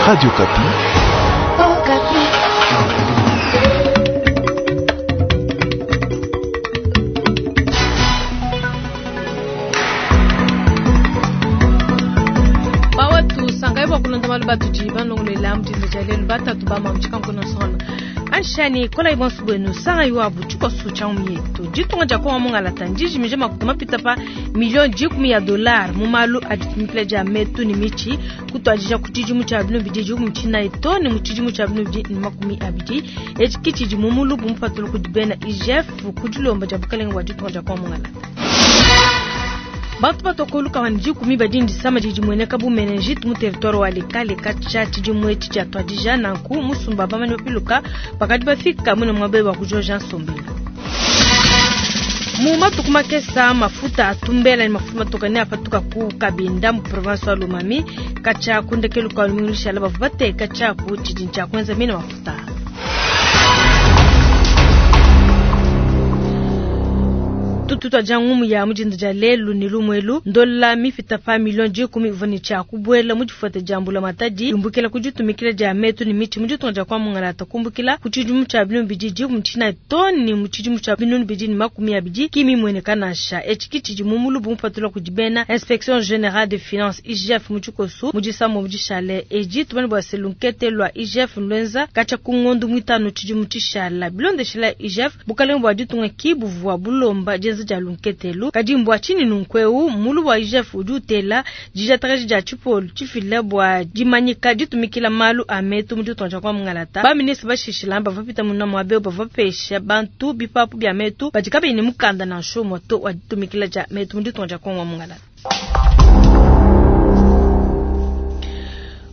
Radio Okapi. Oh, Bawatu sangayi bua kulonda malu batudi balongoluela mu dinda dia lelu batatu ba mamu tshikankono sona anshani kolayi bonso buenu sangayi wabu tshikoso tshia mietu ditunga dia kongo mungalata ndijimija makuta mapita pa miliyo dikumi ya dollar mu malu a ditumikila dia metu ne mitshi kutuadija ku tshidimu tshia binu bidi dikumi tshinayi to ne mu tshidimu tshia binu bidi ne makumi abidi etshi ki tshidi mu mulubu mupatula kudi bena IGF ku dilomba dia bukalenge bua ditunga dia kongo mungalata. Bantu batua ku lukama ne dikumi badi ne disama didi dimueneka bu meningite mu territoire wa Likale katshia tshidimu etshi tshiatuadija. Nanku musumba wa bamanyi bapiluka bakadi bafika muine muaba eu bua kujoja nsombelu. Mu matuku makesa mafuta a tumbela ne mafuta matoka neapatuka ku Kabinda mu province wa Lomami. Katshia ku ndekelu kua lumingu lushala bavua bateka tshiapu tshidi tshia kuenza mine mafuta. Tutuaja ngumu ya mu dinda dia lelu ne lumu elu ndola mipita pa miliyo dikumi ivua ne tshia kubuela mu difueta dia mbulamatadi yumbukila ku ditumikila dia metu ne mitshi mu ditunga dia kwa mungalata kumbukila ku tshidimu tshia binunu bidi dikumi tshinayi too ne mu tshidimu tshia binunu bidi ne makumi abidi ki mimueneka nansha. Etshi ki tshidi mu mulubu mupatula kudi bena Inspection Generale des Finances IGF mu tshikosu mu disambo dishale edi. Tumanye bua se lunkete lua IGF nluenza katshia ku ngondu muitanu tshidimu tshishala. Bilondeshila IGF, bukalenge bua ditunga ki buvua bulomba dienza dia lunkete elu. Kadi mbua tshinyi nunku eu? Mulubu wa IGF udi utela dijatakaji dia tshipolu tshifila bua dimanyika ditumikila malu a metu mu ditunga dia kwa mungalata. Ba ministre bashishila bavua bapita muna muaba eu bavua bapesha bantu bipapu bia metu badi kabayi ne mukanda nansha umue to wa ditumikila dia metu mu ditunga dia Kongo wa mungalata.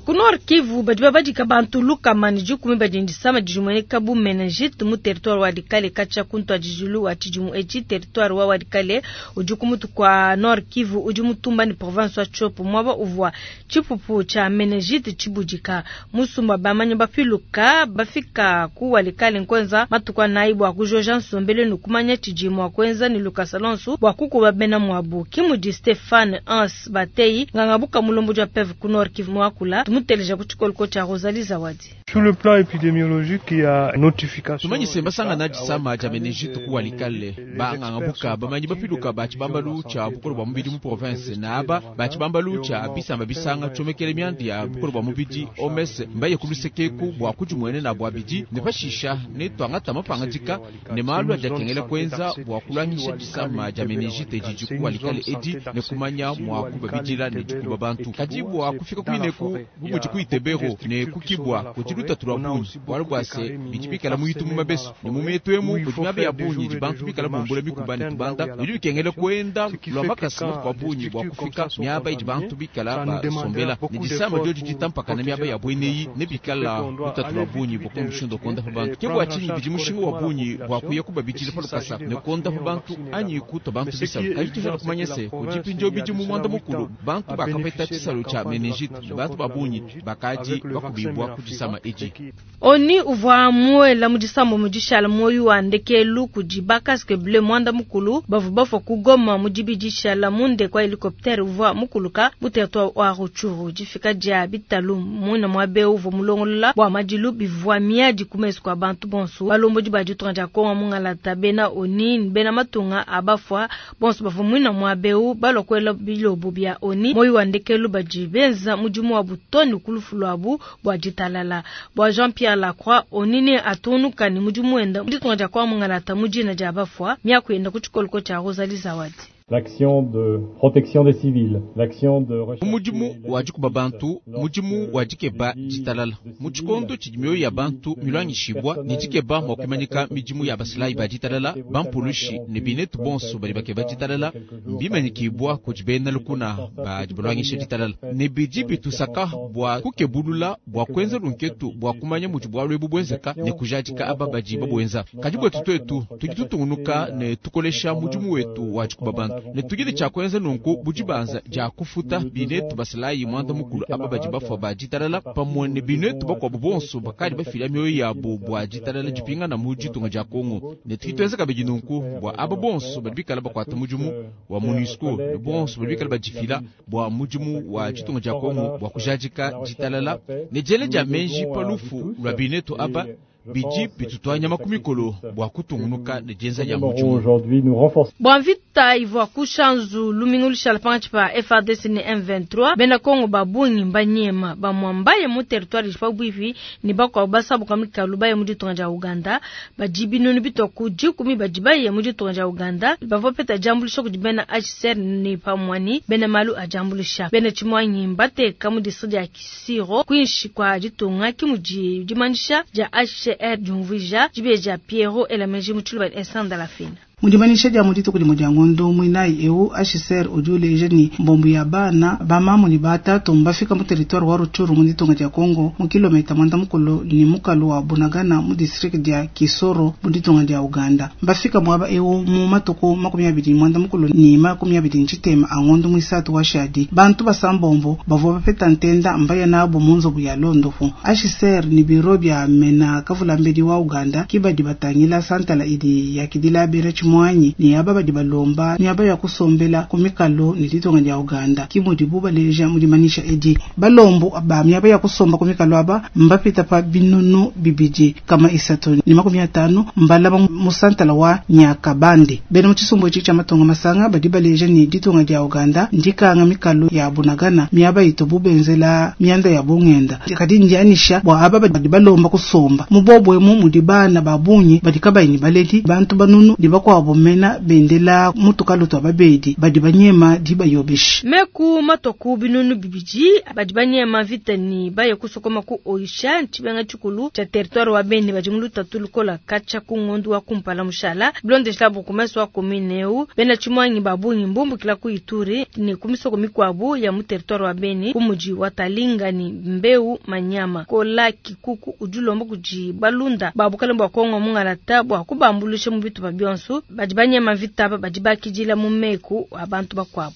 Ku Nord Kivu badi babadika bantu lukama ne dikumi badi ne disama didi dimueneka bu meningite mu territoire wa Walikale katshia ku ntuadijilu wa tshidimu etshi. Territoire wa Walikale udi ku mutu kua Nord Kivu udi mutumba ne province wa Tshopo muaba uvua tshipupu tshia meningite tshibudika. Musumba bamanyi bapiluka bafika ku Walikale nkuenza matuku anayi bua kujoja nsombelu ne kumanya tshidi mua kuenza ne lukasa lonso bua kukuba bena muabu. Ke mudi Stephane Hans Bateyi nganga buka mulombodi wa PEV ku Nord Kivu muakula tumuteleja ku tshikoloko tshia Rosalie Zawadi. Sur le plan épidémiologique, il y a notification. Tumanye se basangana disama dia meningite ku Walikale banganga buka bamanyi bapiluka ba tshibambalu tshia bukole bua mubidi mu province na aba ba tshibambalu tshia bisamba bisanga tshiomekele mianda ya bukole bua mubidi OMS mbaye ku lusekeku bua kudimuenena bua bidi ne pashisha ne tuangata mapangadika ne malu adi akengela kuenza bua kulwangisha disama dia meningite didi ku Walikale edi ne kumanya mua kubabidila ne dikuba bantu. Kadi bua kufika kuineku bu mudi ku Itebero ne ku Kibwa kudi lutatu lua bungi bualu bua se bidi bikala mu itu mu mabesu ne mu mietu emu kudi miaba ya bungi idi bantu bikala bumbula mikuba ne tubanda bidi bikengela kuenda lua makasa matuku a bungi bua kufika miaba idi bantu bikala basombela ne disama diodi ditampakana miaba ya bueneyi ne bikala lutatu lua bungi bua kumushindu kuondapa bantu. Ke bua tshinyi bidi mushinga wa bungi bua kuya kubabidila pa lukasa ne kuondapa bantu anyi kutua bantu bisalu. Kadi tujana kumanya se kudi mpindieu bidi mu muanda mukulu bantu bakapeta tshisalu tshia meningite ne bantu ba bungi bakadi bakubibua ku disama edi. Oni uvua muela mu disambo mu dishala muoyo wa ndekelu kudi ba casque bleu muanda mukulu bavua bafua ku Goma mu dibidi dishala mu ndeke wa helicoptère uvua mukuluka mu territoire wa Rutshuru. Difika dia bitalu muina muaba eu uvua mulongolola bua madilu bivua miadi ku mesu kua bantu bonso. Balombodi ba ditunga dia Kongo mungalata bena Oni ne bena matunga a bafua bonso bavua muina muaba eu balua kuela bilobo bia Oni muoyo wa ndekelu badi benza mudimu wabu too ne ku lufu luabu bua ditalala. Bua Jean-Pierre Lacroix, Oni ne atungunuka ne mudimu wenda mu ditunga dia Kongo mungalata mu dina dia bafua miaku yenda ku tshikoloko tshia Rosalie Zawadi. L'action de protection des civils, l'action de recherche Mudimu wa dikuba bantu, mudimu wa dikeba ditalala. Mu tshikondo tshidi mioyo ya bantu milwangishibwa ne dikeba mua kuimanyika midimu ya basilayi ba ditalala, bampulushi ne binetu bonso badi bakeba ditalala mbimanyikibwa kudi bena lukuna badi balwangisha ditalala. Ne bidi bitusaka bua kukebulula bua kuenza lunketu bua kumanya mudi bualu ebu buenzeka ne kujadika aba badi babuenza. Kadi buetu tuetu tudi tutungunuka ne tukolesha mudimu wetu wa dikuba bantu. Ne tudi ne tshia kuenza nunku bu dibanza dia kufuta binetu basalayi muanda mukulu aba badi bafua ba ditalala pamue ne binetu bakuabu bonso bakadi bafila mioyo yabu bua ditalala dipingana mu ditunga dia Kongo. Ne tudi tuenza kabidi nunku bua aba bonso badi bikala bakuata mudimu wa MONUSCO ne bonso badi bikala badifila bua mudimu wa ditunga dia Kongo bua kujadika ditalala ne diela dia meji pa lufu lua binetu aba bidi bitutua nyama ku mikolo bua kutungunuka ne dienza dia mudimu. Aujourd'hui, nous renforçons Bua mvita ivua ku Shanzu lumingu lushala pankatshi pa FARDC ne M23, bena Kongo ba bungi mbanyema bamue mbaye mu territoire idi pabuipi ne bakuabu basabuka mikalu baye mu ditunga dia Uganda. Badi binunu bitua ku dikumi badi baye mu ditunga dia Uganda bavua bapeta diambuluisha kudi bena HCR ne pamue ne bena malu a diambuluisha. Bena tshimuangi mbateka mu district dia Kisiro kuinshi kua ditunga, ke mudi dimanyisha dia HCR diumvuija. Dibeji dia Pierrot Elameji mu Tshiluba Instant Dalafina. Mu dimanyisha dia mu dituku dimue dia ngondo muinayi eu, HCR udi uleja ne, mbombo ya bana ba mamu ne ba tatu mbafika mu territoire wa Rutshuru mu ditunga dia Congo mu kilometa muanda mukulu ne mukalu wa Bunagana mu district dia Kisoro mu ditunga dia Uganda. Mbafika muaba eu mu matuku 24 ne 23 a ngondo muisatu wa shadi. Bantu basambombo bavua bapeta ntenda mbaya nabu mu nzubu ya londopu. HCR ne biro bia mena kavulambedi wa Uganda ke badi batangila santala idi yakidila bena tshimuanyi ne aba badi balomba miaba ya kusombela ku mikalu ne ditunga dia Uganda, ke mudibu baleja mu dimanyisha edi. Balombu ba miaba ya kusomba ku mikalu aba mbapita pa 2350 mbalama mu santala wa Nyakabande. Bena mu tshisumbu etshi tshia matunga masanga badi baleja ne ditunga dia Uganda ndikanga mikalu ya Bunagana miaba itubu benzela mianda ya bungenda, kadi ndianyisha bua aba badi balomba kusomba mu bobu emu mudi bana ba bungi badi kabayi ne baledi, bantu banunu ne bakuabu mena bendela mutukalu tua babedi badi banyema dibayobeshi. Meku matoku 200 badi banyema mvita ne baye kusokoma ku Oisha ntshibenga tshikulu tshia territoire wa Beni badi mu lutatu lukola katshia ku ngondu wa kumpala mushala bilondeshila bourgmestre wa commune eu. Bena tshimuangi ba bungi mbumbukila ku Ituri ne ku misoko mikuabu ya mu territoire wa Beni ku mudi wa Talinga ne Mbeu Manyama. Kola Kikuku udi ulomba kudi balunda ba bukalenge bua Kongo mungalata bua kubambuluisha mu bitupa bionso badi banyema mvita aba badi bakidila mu meku a bantu bakuabu.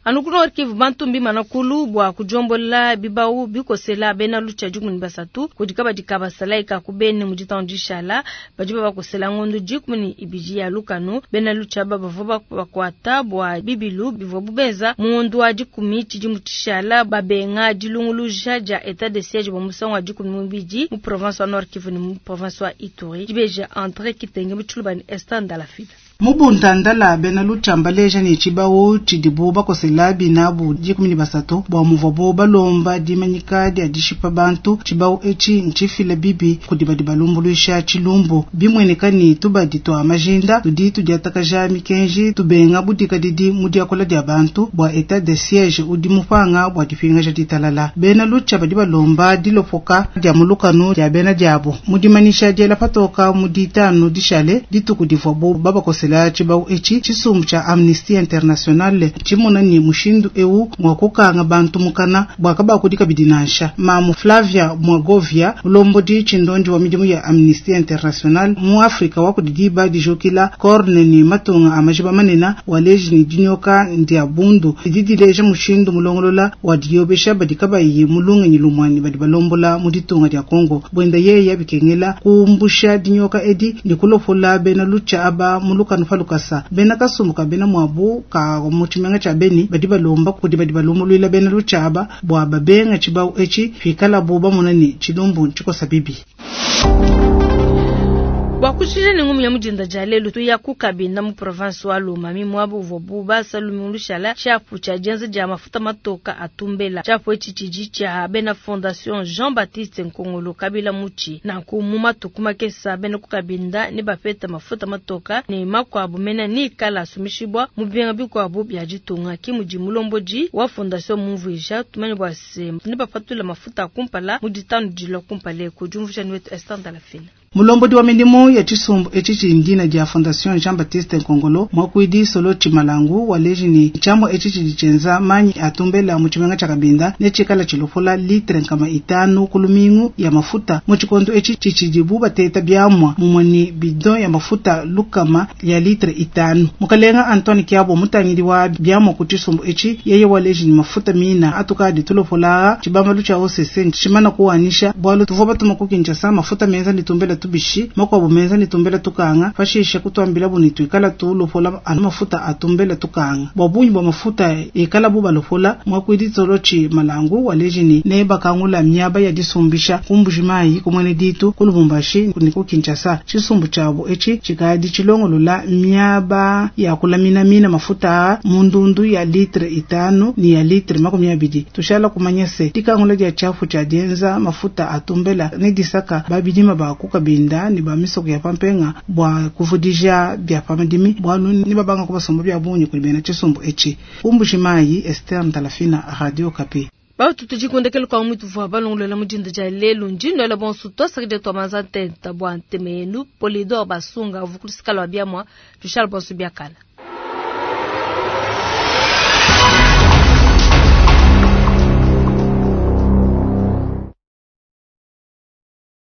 Anu ku Nord Kivu, bantu mbimana kulu bua kudiombola bibau bikosela bena lucha 13 kudi kabadi ka basalayi ka ku Beni mu ditanu dishala badi babakosela ngondo 12 ya lukanu. Bena lucha aba bavua bakuata bua bibilu bivua bubenza mu ngondo wa 10 tshidimu tshishala babenga dilunguluja dia etat de siège bua musangu wa 12 mu province wa Nord Kivu ne mu province wa Ituri. Dibeja André Kitenge mu Tshiluba ne Esther Ndalafida. Mu buntandala bena lucha mbaleja ne tshibau tshidibu bakosela binabu 13 bua muvuabu balomba dimanyika dia dishipa bantu. Tshibau etshi ntshifila bibi kudi badi balumbuluisha tshilumbu bimueneka ne tubadi tua majinda tudi tudiatakaja mikenji tubenga budikadidi mu diakola dia bantu bua etat de siège udi mupanga bua dipingaja ditalala. Bena lucha badi balomba dilopoka dia mulukanu dia bena diabu mu dimanyisha diela patoka mu ditanu dishale dituku divuabu babakosela tshibau etshi. Tshisumbu tshia Amnesty International tshimona ne mushindu eu ngua kukanga bantu mukana bua kabakudi kabidi nansha. Mamu Flavia Mwagovia mulombodi tshindondi wa midimu ya Amnesty International mu Afrika wa kudi diba dijukila corne ne matunga a majiba manene waleji ne dinyoka ndia bundu didi dileja mushindu mulongolola wa diyobesha badi kabayi mulungenyi lumwani badi balombola mu ditunga dia Kongo. Bwenda yeya bikengela kumbusha dinyoka edi ne kulopola bena lucha aba muluka falukasa. Bena kasumbu ka bena mwabu ka mu tshimenga tshia Beni badi balomba kudi badi balumbuluila bena lucha aba bua babenga tshibau etshi pikalabu bamona ne tshilumbu ntshikosa bibi. Bua kushija ne ngumu ya mudinda dia lelu tuya ku Kabinda mu province wa Lomami muaba uvuabu basa lumingu lushala tshiapu tshia dienza dia mafuta matoka a tumbela. Tshiapu etshi tshidi tshia bena Fondation Jean-Baptiste Nkongolo Kabila Mutshi. Nanku mu matuku makesa bena ku Kabinda ne bapeta mafuta matoka ne makuabu mena ni kala asumishibwa mu bimenga bikuabu bia ditunga. Ki mudi mulombodi wa fondation mumvuija tumanye bua se ne bapatula mafuta a kumpala mu ditanu dilua kumpala eku. Diumvuija ni wetu Esther Ndalafina. Mulombodi wa midimu ya tshisumbu etshi tshidi dina dia Fondation Jean Baptiste Nkongolo, muakuidi Solo Tshimalangu waleji ne tshiamua etshi tshidi tshienza manyi a tumbela mu tshimenga tshia Kabinda ne tshikala tshilopola litre 500 ku lumingu ya mafuta mu tshikondo etshi tshitshidibu bateta biamua mumue ne bidon ya mafuta 100 ya litre 5. Mukalenga Antoine Kiabo mutangidi wa biamua ku tshisumbu etshi yeye waleji ne mafuta mina atukadi tulopola tshibambalu tshia OCC tshimana kuwanisha bualu tuvua batuma ku Kinshasa mafuta menza ne tumbela tubishi makuabu menza ne tumbela tukanga pashishe kutuambila bu ne tuikala tulopola anu mafuta atumbela tukanga bua bungi bua mafuta ikala bu balopola muakuidi Solo Tshimalangu waleji ne ne bakangula miaba ya disumbisha ku Mbujimayi ku Mwene Ditu ku Lubumbashi ne ku Kinshasa. Tshisumbu tshiabu etshi tshikadi tshilongolola miaba ya kulaminamina mafuta mu ndundu ya litre 5 ne ya litre 20. Tushala kumanya se dikangula dia tshiapu tshia dienza mafuta atumbela ne disaka babidima ba ku Kabinda ne ba misoko ya pampenga bua kuvudija bia pamadimi bualu ne babanga kubasomba bia bungi kudi bena tshisumbu etshi. Ku Mbujimayi, Esther Ndalafina, Radio Okapi. Bautu tudikundekele kwa mwitu vwa balongolela mujinda ja lelu njino la bonsu twasakije twamanza ntenta bwa ntemenu Polidor Basunga vukulisikala wa biamwa tushal bonsu biakala.